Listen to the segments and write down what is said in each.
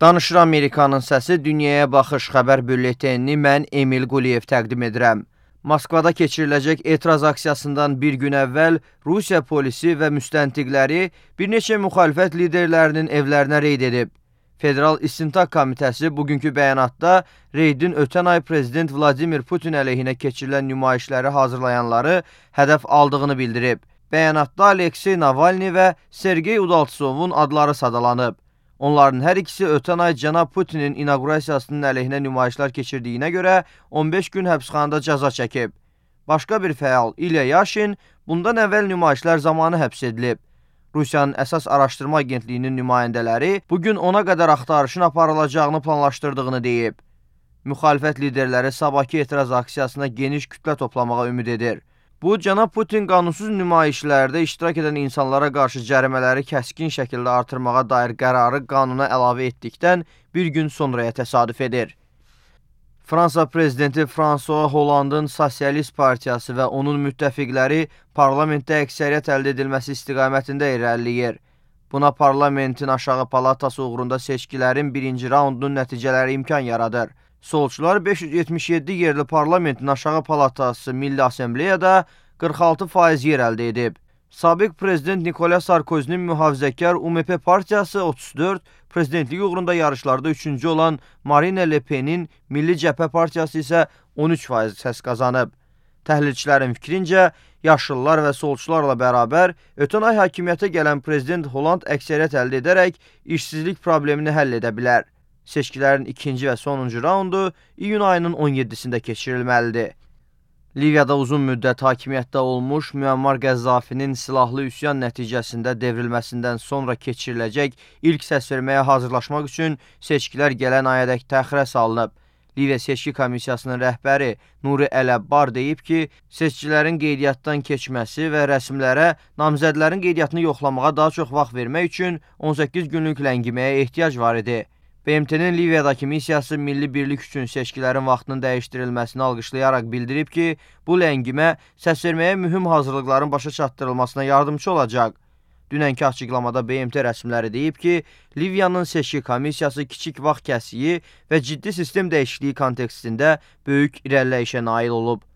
Danışır Amerikanın səsi dünyaya baxış xəbər bülletenini mən Emil Quliyev təqdim edirəm. Moskvada keçiriləcək etiraz aksiyasından bir gün əvvəl Rusiya polisi və müstəntiqləri bir neçə müxalifət liderlərinin evlərinə reyd edib. Federal İstintaq Komitəsi bugünkü bəyanatda reydin ötən ay Prezident Vladimir Putin əleyhinə keçirilən nümayişləri hazırlayanları hədəf aldığını bildirib. Bəyanatda Aleksey Navalny və Sergey Udaltsovun adları sadalanıb. Onların hər ikisi ötən ay cənab Putinin inaugurasiyasının əleyhinə nümayişlər keçirdiyinə görə 15 gün həbsxanada cəza çəkib. Başqa bir fəal İlya Yaşin bundan əvvəl nümayişlər zamanı həbs edilib. Rusiyanın əsas araşdırma agentliyinin nümayəndələri bugün ona qədər axtarışın aparılacağını planlaşdırdığını deyib. Müxalifət liderləri sabahki etiraz aksiyasına geniş kütlə toplamağa ümid edir. Bu, cənab Putin qanunsuz nümayişlərdə iştirak edən insanlara qarşı cərimələri kəskin şəkildə artırmağa dair qərarı qanuna əlavə etdikdən bir gün sonraya təsadüf edir. Fransa prezidenti François Hollandın Sosialist Partiyası və onun müttəfiqləri parlamentdə əksəriyyət əldə edilməsi istiqamətində irəliləyir. Buna parlamentin aşağı palatası uğrunda seçkilərin birinci raundunun nəticələri imkan yaradır. Solçular 577 yerli parlamentin aşağı palatası Milli Assembleyada 46% yer əldə edib. Sabiq prezident Nikolas Sarkozinin mühafizəkar UMP partiyası 34, prezidentlik uğrunda yarışlarda 3-cü olan Marine Le Pen'in Milli Cəbhə partiyası isə 13% səs qazanıb. Təhlilçilərin fikrincə, yaşlılar və solçularla bərabər ötən ay hakimiyyətə gələn prezident Holland əksəriyyət əldə edərək işsizlik problemini həll edə bilər. Seçkilərin ikinci və sonuncu raundu iyun ayının 17-sində keçirilməlidir. Liviyada uzun müddət hakimiyyətdə olmuş Müəmmar Qəzzafinin silahlı üsyan nəticəsində devrilməsindən sonra keçiriləcək ilk səsverməyə hazırlaşmaq üçün seçkilər gələn ayədək təxirə salınıb. Liviya Seçki Komissiyasının rəhbəri Nuri Əl-Əbbar deyib ki, seçkilərin qeydiyyatdan keçməsi və rəsmlərə namizədlərin qeydiyyatını yoxlamağa daha çox vaxt vermək üçün 18 günlük ləngiməyə ehtiyac var idi. BMT-nin Liviyadakı missiyası milli birlik üçün seçkilərin vaxtının dəyişdirilməsini alqışlayaraq bildirib ki, bu ləngimə səsverməyə mühüm hazırlıqların başa çatdırılmasına yardımcı olacaq. Dünənki açıqlamada BMT rəsmiləri deyib ki, Liviyanın seçki komissiyası kiçik vaxt kəsiyi və ciddi sistem dəyişikliyi kontekstində böyük irəliləyişə nail olub.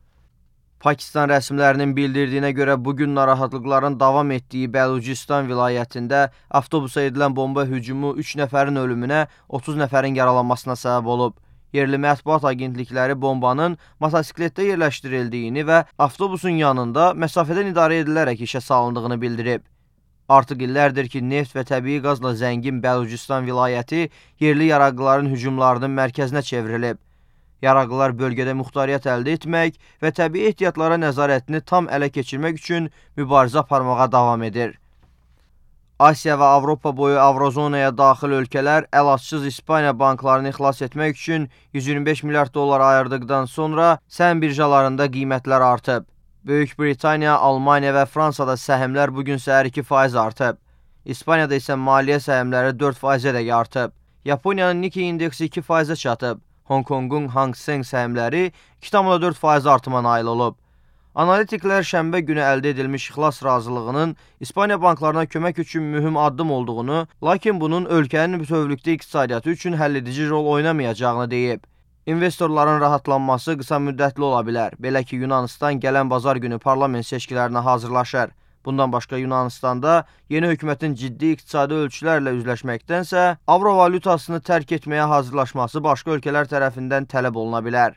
Pakistan rəsmilərinin bildirdiyinə görə bugün narahatlıqların davam etdiyi Bəlucistan vilayətində avtobusa edilən bomba hücumu 3 nəfərin ölümünə, 30 nəfərin yaralanmasına səbəb olub. Yerli mətbuat agentlikləri bombanın motosikletdə yerləşdirildiyini və avtobusun yanında məsafədən idarə edilərək işə salındığını bildirib. Artıq illərdir ki, neft və təbii qazla zəngin Bəlucistan vilayəti yerli yaraqlıların hücumlarının mərkəzinə çevrilib. Yaraqlılar bölgədə muxtariyyət əldə etmək və təbii ehtiyatlara nəzarətini tam ələ keçirmək üçün mübarizə aparmağa davam edir. Asiya və Avropa boyu Avrozonaya daxil ölkələr əlacsız İspaniya banklarını xilas etmək üçün 125 milyard dollar ayırdıqdan sonra səhəm birjalarında qiymətlər artıb. Böyük Britaniya, Almaniya və Fransada səhmlər bugün səhər 2% artıb. İspaniyada isə maliyyə səhmləri 4% edək artıb. Yaponiyanın Nikkei indeksi 2% çatıb. Hong Kongun Hang Seng səhmləri 2,4% artıma nail olub. Analitiklər şənbə günü əldə edilmiş xilas razılığının İspaniya banklarına kömək üçün mühüm addım olduğunu, lakin bunun ölkənin bütövlükdə iqtisadiyyatı üçün həlledici rol oynamayacağını deyib. İnvestorların rahatlanması qısa müddətli ola bilər. Belə ki, Yunanistan gələn bazar günü parlament seçkilərinə hazırlaşır. Bundan başqa Yunanistanda yeni hökumətin ciddi iqtisadi ölçülərlə üzləşməkdənsə, avro valyutasını tərk etməyə hazırlaşması başqa ölkələr tərəfindən tələb oluna bilər.